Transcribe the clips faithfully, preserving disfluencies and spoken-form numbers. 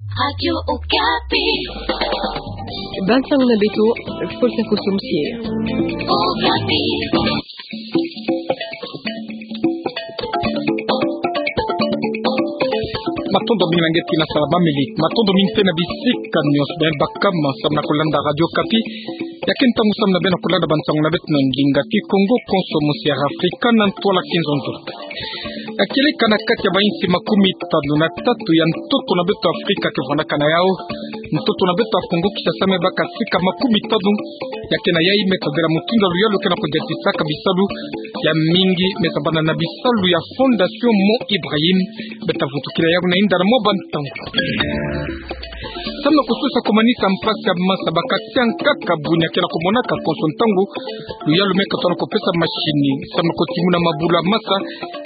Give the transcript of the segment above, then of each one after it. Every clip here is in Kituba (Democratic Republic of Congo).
Radio Okapi. Bansango na beto, Faustin Kosomsie. Okapi. Matondo mingi na nge tina salamamili. Matondo mingi mpe na bisika nyonso beno baka mo samna kolanda Radio Okapi. Ya ke ntangu samna beno kolanda bansango na beto na ndinga Kikongo konso mosi ya Afrika na ntwala kinzonzo. Ya kieleka na kati ya bainsi makumi tanu na tatu ya ntoto na beto Afrika ke vwandaka na yau. Ntoto na beto ya Kongo Kinshasa me baka sika makumi tanu. Ya ke na yai me tadela mutindu ya luyalu ke na kudiatisaka bisalu ya mingi me zabana na bisalu ya Fondation Mo Ibrahim. Beta vutukila yau na inda na mwa bantangu. Samna kususa kumanisa mpasi ya masa baka tia nkaka bunia ke na kumonaka konso ntangu luyalu me katona kupesa masini samna kutimuna mabulu ya masa,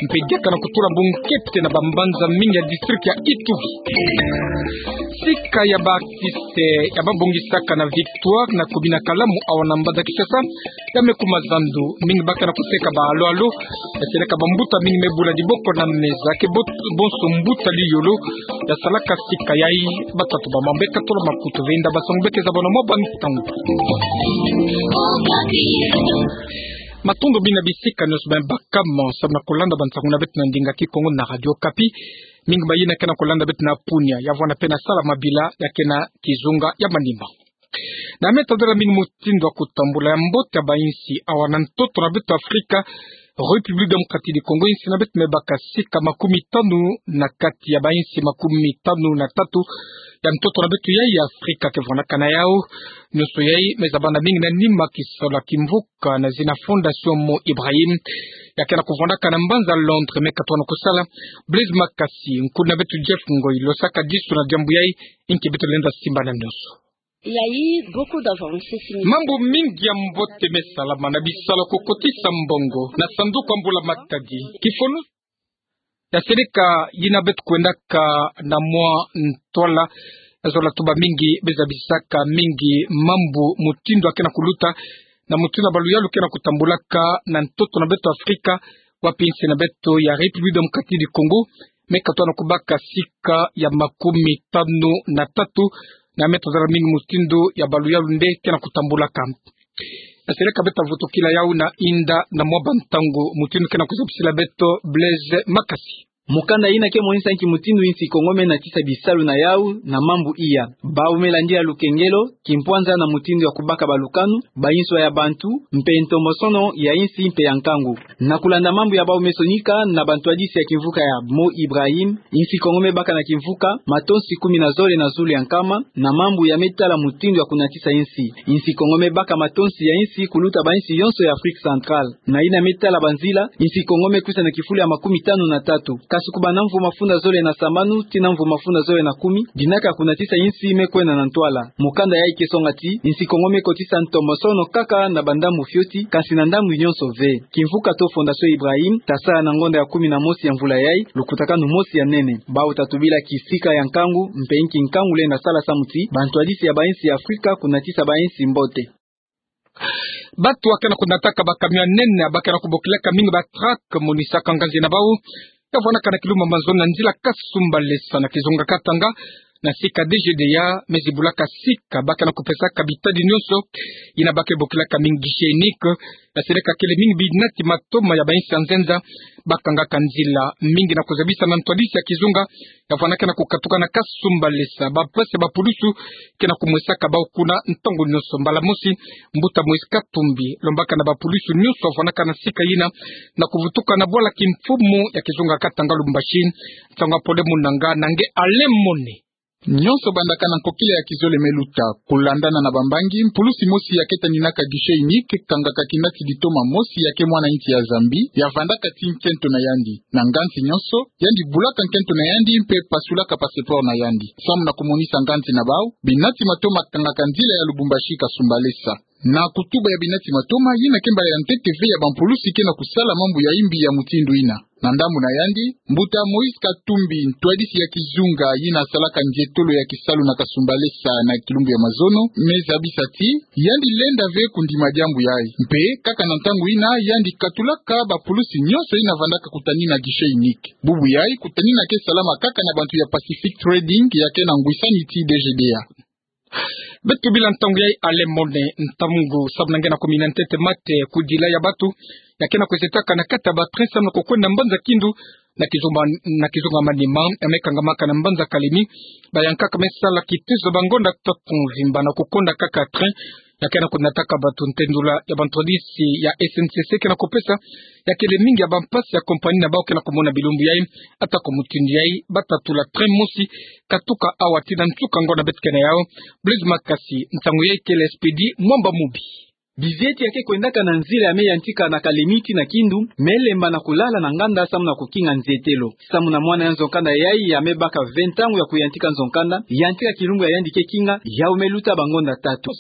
mpe diaka na kutula bungu kepte na bambanza mingi ya district ya Ituri. Sika ya ba artiste ya babongisaka na Victoire na commune ya Kalamu awa na Mbanda Kinshasa, ya me kuma zandu, mingi baka na kuseka ba alo-alo. Ya seleka bambuta mingi me bula diboko na meza ke bot-, bonso mbuta liyolo ya salaka sika yai. Batatu ba mambu ke tolo makutu ve inda bansango beke zabana mwa bantangu. Matondo mingi na bisika nyonso beno baka mo samna kolanda bansango na beto na ndinga Kikongo na Radio Okapi. Mingi mayina ke na kolanda beto na Punia, ya vwanda mpe na Salamabila, ya ke na kizunga ya Maniema. Na me tadela mingi mutindu ya kutambula ya mbote ya bainsi awa na ntoto na beto Afrika, République Démocratique du Congo, insi na beto me baka sika makumi tanu na kati ya bainsi makumi tanu na tatu ya ntoto na beto yai ya Afrika ke vwandaka na yau. Nyonso yai me zabana mingi na nima kisalu ya kimvuka na zina Fondation Mo Ibrahim, ya ke na kuvwandaka na mbanza Londres me katona kusala. Blaise Makasi, nkulu na beto Jeff Ngoi, lo saka disu na diambu yai. Inki beto lenda simbana nyonso. Il y a eu beaucoup d'avancées significatives. Mambu mingi ya mbote me salama na bisalu ya kukotisa mbongo na sanduku ya mbula-matadi. Kifunu ya seleka yina beto kwendaka na mwa ntwala, ya zola tuba mingi, be zabisaka mingi mambu mutindu ya ke na kuluta na mutindu ya ba luyalu ke na kutambulaka na ntoto na beto Afrika, wapi insi na beto ya République Démocratique du Congo me katona kubaka sika ya makumi tanu na tatu, na me tazala mingi mutindu ya ba luyalu nde ke na kutambulaka. Ya seleka beta vutukila yau na inda na mwa bantangu, mutindu ke na kuzabisila beto Blaise Makasi. Mukanda yina ke monisa nki mutindu insi Kongo me natisa bisalu na yau na mambu iya. Bau me landila lukengelo, kimpwanza na mutindu ya kubaka balukanu, bayinswa ya bantu, mpe ntombosono ya insi mpe ya nkangu. Na kulanda mambu ya bau me sonika na bantwadisi ya kimvuka ya Mo Ibrahim, insi Kongo me baka na kimvuka matonsi kumi na zole na zulu ya nkama na mambu ya me tala mutindu ya kunatisa insi. Insi Kongo me baka matonsi ya insi kuluta bainsi yonso ya Afrique Centrale. Na yina me tala banzila, insi Kongo me kwisa na kifulu ya makumi tanu na tatu. Kasi kubanda mvu mafunda zole na sambanu tii na mvu mafunda zole na kumi, dinaka ya kunatisa insi me kwenda na ntwala. Mukanda yai ke songa ti, insi Kongo me kotisa ntombosono kaka na bandambu fioti, kasi na ndambu nyonso ve. Kimvuka to Fondation Ibrahim tasala na ngonda ya kumi na mosi ya mvula yai lukutakanu mosi ya nene. Bau tatubila kisika ya nkangu, mpe nki nkangu lenda sala samu ti bantwadisi ya bainsi ya Afrika kunatisa bainsi mbote. Bantu ya ke na kunataka ba camion ya nene, ba ke na kubokilaka mingi ba truck, monisaka nganzi na bau ya vwanaka na kilumbu mabanzoni na nzila Kasumbalesa na kizunga Katanga, na sika D G D A, me zibulaka sika, ba ke na kupesaka bitadi nyonso yina ba ke bokilaka mingi guichet unique. Ya seleka kele mingi binati matoma ya bainsi ya nzenza ba kangaka nzila, mingi na kuzabisa na ntwadisi ya kizunga ya vwanaka na kukatuka na Kasumbalesa, ba mpasi ya bapulusu ke na kumwesaka bau kuna ntangu nyonso. Mbala mosi, mbuta Moïse Katumbi lombaka na bapulusu nyonso ya vwanaka na sika yina na kuvutuka na bwala kimfumu ya kizunga Katanga Lubumbashi. Nsangu ya pole mu nanga na nge Alain Mone. Nyonso bandaka na nkokila ya kizole me luta. Kulandana na bambangi, mpulusi mosi ya ke taninaka guichet unique kangaka kinati ditoma mosi ya ke mwana insi ya Zambie, ya vandaka tii nkento na yandi. Na nganzi nyonso, yandi bulaka nkento na yandi mpe pasulaka passeport na yandi. Samu na kumonisa nganzi na bau, binati matoma kangaka nzila ya Lubumbashi Kasumbalesa. Na kutuba ya Binati Matoma, yina ke mbala ya ntete ve ya bampulusi ke na kusala mambu ya imbi ya mutindu yina. Na ndambu na yandi, mbuta Moïse Katumbi, ntwadisi ya kizunga yina salaka nzietolo ya kisalu na kasumbalesa na kilumbu ya mazono, me zabisa ti yandi lenda ve kundima diambu yayi. Mpe kaka na ntangu yina, yandi katulaka bapulusi nyonso yina vandaka kutanina guichet unique. Bubu yayi kutanina ke salama kaka na bantu ya Pacific Trading ya ke na ngwisani ti D G D A. Beto bila ntangu yayi Alain Mone, ntangu samu na nge na kumina ntete mate kudila ya batu ya ke na kwizetaka na kati ya ba train samu na kukwenda mbanza Kindu na kizunga, na kizunga Maniema, ya me kangamaka na mbanza Kalemi. Bayankaka me sala kitezo ba ngonda tatu mvimba na kukonda kaka train ya ke na kunataka batu. Ntendula ya bantwadisi ya S N C C ke na kupesa, ya kele mingi ya bampasi ya compagnie na bau ke na kumona bilumbu yayi. Ata ko mutindu yayi, bata tula train mosi katuka awa tii na nsuka ngonda beto ke na yau. Blaise Makasi, nsangu yayi kele Expedit Mwamba Mubi. Bizieti ya ke kwendaka na nzila ya me yantika na Kalemi tii na Kindu, me lemba na kulala na nganda samu na kukinga nzietelo. Samu na mwana ya nzo-nkanda yayi ya me baka ve ntangu ya kuyantika nzo-nkanda, yantika kilumbu ya yandi ke kinga, yau me luta ba ngonda tatu.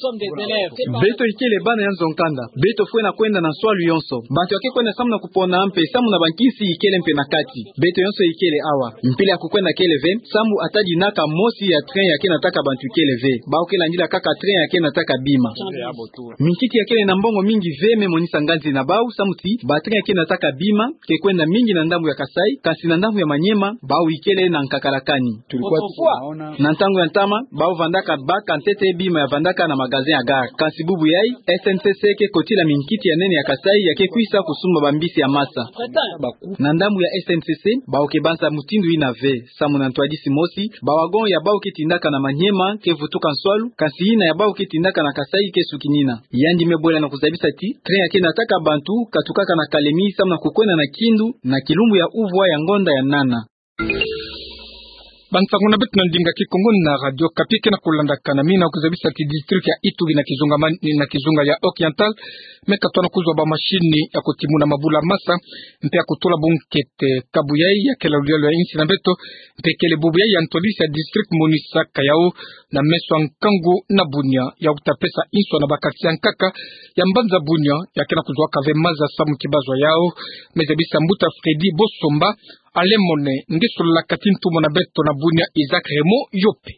Beto ikele bana ya nzo-nkanda, beto fwena kwenda na nswalu yonso. Bantu ya ke kwenda samu na kupona mpe samu na bankinsi ikele mpe na kati. Beto yonso ikele awa. Mpila ya kukwenda kele ve, samu ata dinaka mosi ya train ya ke nataka bantu ikele ve. Bau ke landila kaka train ya ke nataka bima. Minkiti ya kele na mbongo mingi ve me monisa nganzi na bau, samu ti ba train ya ke nataka bima ke kwenda mingi na ndambu ya Kasaï, kasi na ndambu ya Maniema, bau ikele na nkakalakani. Na ntangu ya ntama, bau vandaka baka ntete bima ya vandaka na magasin ya gare. Kasi bubu yayi, S N C C ke kotila minkiti ya nene ya Kasaï ya ke kwisa kusumba bambisi ya masa. Na ndambu ya S N C C, bau ke banza mutindu yina ve. Samu na ntwadisi mosi, ba wagon ya bau ke tindaka na Maniema ke vutuka nswalu, kasi yina ya bau ke tindaka na Kasaï ke sukinina. Yandi me bwela na kuzabisa ti train ya ke nataka bantu katukaka na Kalemi samu na kukwenda na Kindu na kilumbu ya uvwa ya ngonda ya nana. Bansangu na beto na ndinga Kikongo na Radio Okapi ke na kulandaka na mina kuzabisa ti district ya Ituri na kizunga man-, na kizunga ya Oriental, me katona kuzwa ba machine ya kutimuna mabulu ya masa, mpe ya kutula bunkete. Kabu yayi ya kele lulelo ya insi na beto, mpe kele bubu yayi ya ntwadisi ya district monisaka yau na meso ya nkangu na Bunia, ya kuta pesa inswa na ba quartier ya nkaka ya mbanza Bunia, ya ke na kuzwaka ve maza samu ti bazwa yau. Me zabisa mbuta Freddy Bosomba. Alain Mone, nge sololaka ti ntumwa na beto na Bunia Isaac Raymond yo mpe.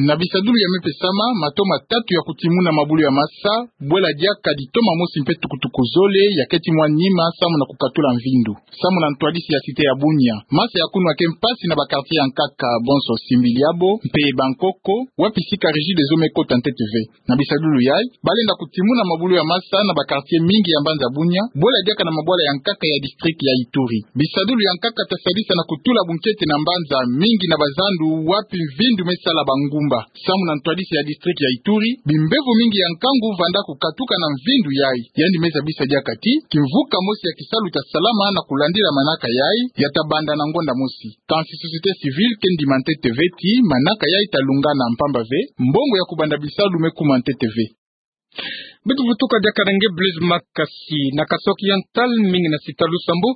Na bisadulu ya me pesama, mato matatu ya kutimuna mabulu ya masa, bwela diaka ditoma mosi mpe tukutuku zole, ya keti mwa nima samu na kukatula mvindu. Samu na ntwadisi ya cité ya Bunia, masa ya kunu ya ke mpasi na ba quartier ya nkaka bonso, Simbiliabo mpe Bankoko, wapi sika Regideso me kota ntete ve. Na bisadulu yayi, balenda kutimuna mabulu ya masa na ba quartier mingi ya mbanza Bunia, bwela diaka na mabwala ya nkaka ya district ya Ituri. Bisadulu ya nkaka ta sadisa na kutula bunkete na mbanza mingi na bazandu, wapi mvindu me sala bangumba. Samu na ntwadisi ya district ya Ituri, bimbevo mingi ya nkangu vanda kukatuka na mvindu yayi. Yandi me zabisa diaka ti kimvuka mosi ya kisalu ta salama na kulandila manaka yayi, ya ta banda na ngonda mosi. Kansi société civile ke ndima ntete ve ti manaka yayi ta lungana, mpamba ve mbongo ya kubanda bisalu me kuma ntete ve. Beto vutuka diaka na nge Blaise Makasi. Na Kasaï Oriental, mingi na site Lusambao,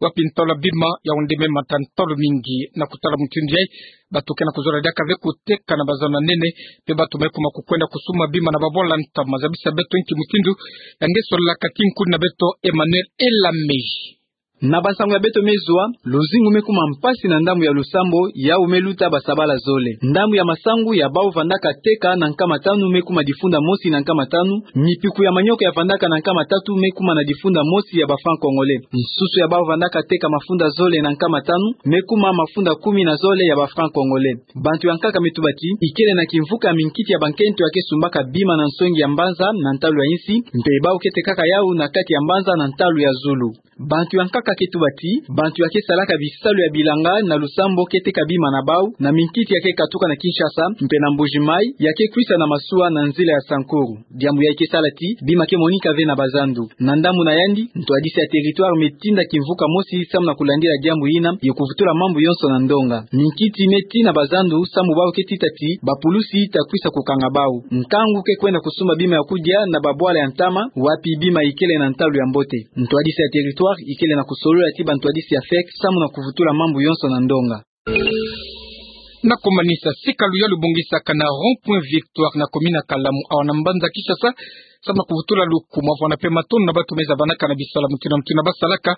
wapi ntalu ya bima ya onde me mata ntalu mingi. Na kutala mutindu yayi, bato ke na kuzola diaka ve kuteka na bazandu ya nene, mpe bato me kuma kukwenda kusumba bima na babwala ntama. Zabisa beto nki mutindu ya nge sololaka ti nkuni na beto Emmanuel Elamé. Na bansangu ya beto me zwa, luzingu me kuma mpasi na ndambu ya Lusambao, yau me luta basabala zole. Ndambu ya masangu ya bau vandaka teka na nkama tanu me kuma difunda mosi na nkama tanu, mipiku ya manioko ya vandaka na nkama tatu me kuma na difunda mosi ya ba francs congolais. Nsusu ya bau vandaka teka mafunda zole na nkama tanu me kuma mafunda kumi na zole ya ba francs congolais. Bantu ya nkaka me tuba ti ikele na kimvuka ya minkiti ya bankento ya ke sumbaka bima na nsongi ya mbanza na ntalu ya insi, mpe bau ke tekaka yau na kati ya mbanza na ntalu ya zulu. Bantu ya nkaka ke tuba ti bantu ya ke salaka bisalu ya bilanga na Lusambao ke teka bima na bau na minkiti ya ke katuka na Kinshasa mpe na Mbuji-Mayi, ya ke kwisa na masuwa na nzila ya Sankuru. Diambu yayi ke sala ti bima ke monika ve na bazandu. Na ndambu na yandi, ntwadisi ya territoire me tinda kimvuka mosi samu na kulandila diambu yina, ye kuvutula mambu yonso na ndonga. Minkiti me tii na bazandu samu bau ke tita ti bapulusi ta kwisa kukanga bau. Nkangu ke kwenda kusumba bima ya kudia na babwala ya ntama, wapi bima ikele na ntalu ya mbote. Ntwadisi ya territoire ikele na kusolola ti bantwadisi ya fek samu na kuvutula mambu yonso na ndonga. Na komanisa, sika luyalu bongisaka na rond-point Victoire na commune ya Kalamu, awa na mbanza Kinshasa, samu na kuvutula lukumu, avwanda mpe matondo na bantu me zabanaka na bisala mutindu na mutindu basalaka.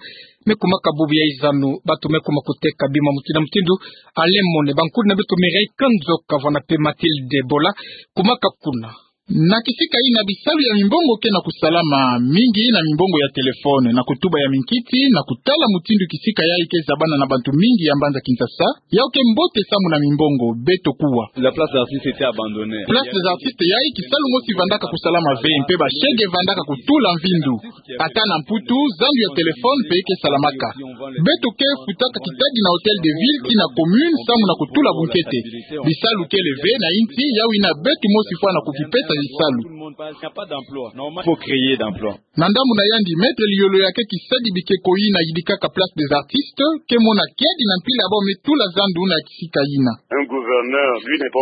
Me kumaka bubu ya zanu, bantu me kuma kuteka bima mutindu na mutindu. Alain Mone, bankulu na beto Mireille Kanzoka, avwanda mpe Mathilde Bola, kumaka kuna. Na kisika yina, bisalu ya mimbongo ke na kusalama mingi na mimbongo ya téléphone, na kutuba ya minkiti, na kutala mutindu kisika yayi ke zabana na bantu mingi ya mbanza Kinshasa. Yawu ke mbote samu na mimbongo, beto kuwa. La place des artistes était abandonnée. Place des artistes yayi, kisalu mosi vandaka kusalama ve, mpe ba shege vandaka kutula mvindu. Ata na Mputu, zandu ya téléphone mpe ke salamaka. Beto ke futaka kitadi na Hôtel de Ville ti na commune samu na kutula bunkete. Bisalu kele ve na insi, yawu yina beto mosi fwana kukipesa bisalu. Faut créer d'emplois. Na ndambu na yandi, Maître Liolo, ya ke kisadi bikeko yina yidikaka Place des Artistes, ke mona kiadi na mpila ya bawu me tula zandu na kisika yina.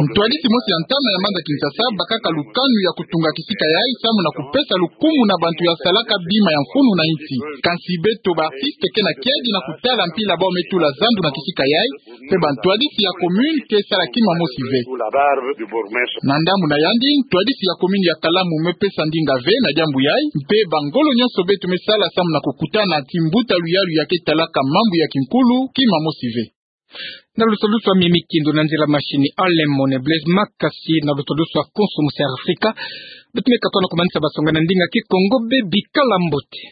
Ntwadisi mosi ya ntama ya mbanza Kinshasa abakaka lukanu ya kutunga kisika yayi samu na kupesa lukumu na bantu ya salaka bima ya mfunu na insi. Kansi beto ba artistes ke na kiadi na kutala mpila ya bawu me tula zandu na kisika yayi, mpe bantwadisi ya commune ke sala kima mosi ve. Na ndambu na yandi, ntwadisi ya commune ya Kalamu me pesa ndinga ve na diambu yayi, mpe bangolo nyonso beto me sala samu na kukutana ti mbuta luyalu ya ke talaka mambu ya kinkulu kima mosi ve. Na lusolusu ya Mimi Kindu, na nzila machine Alain Mone, Blaise Makasi, na lusolusu ya konso Musi Afrika. Beto me katuka na komanisa basonga na ndinga Kikongo. Bikala mbote.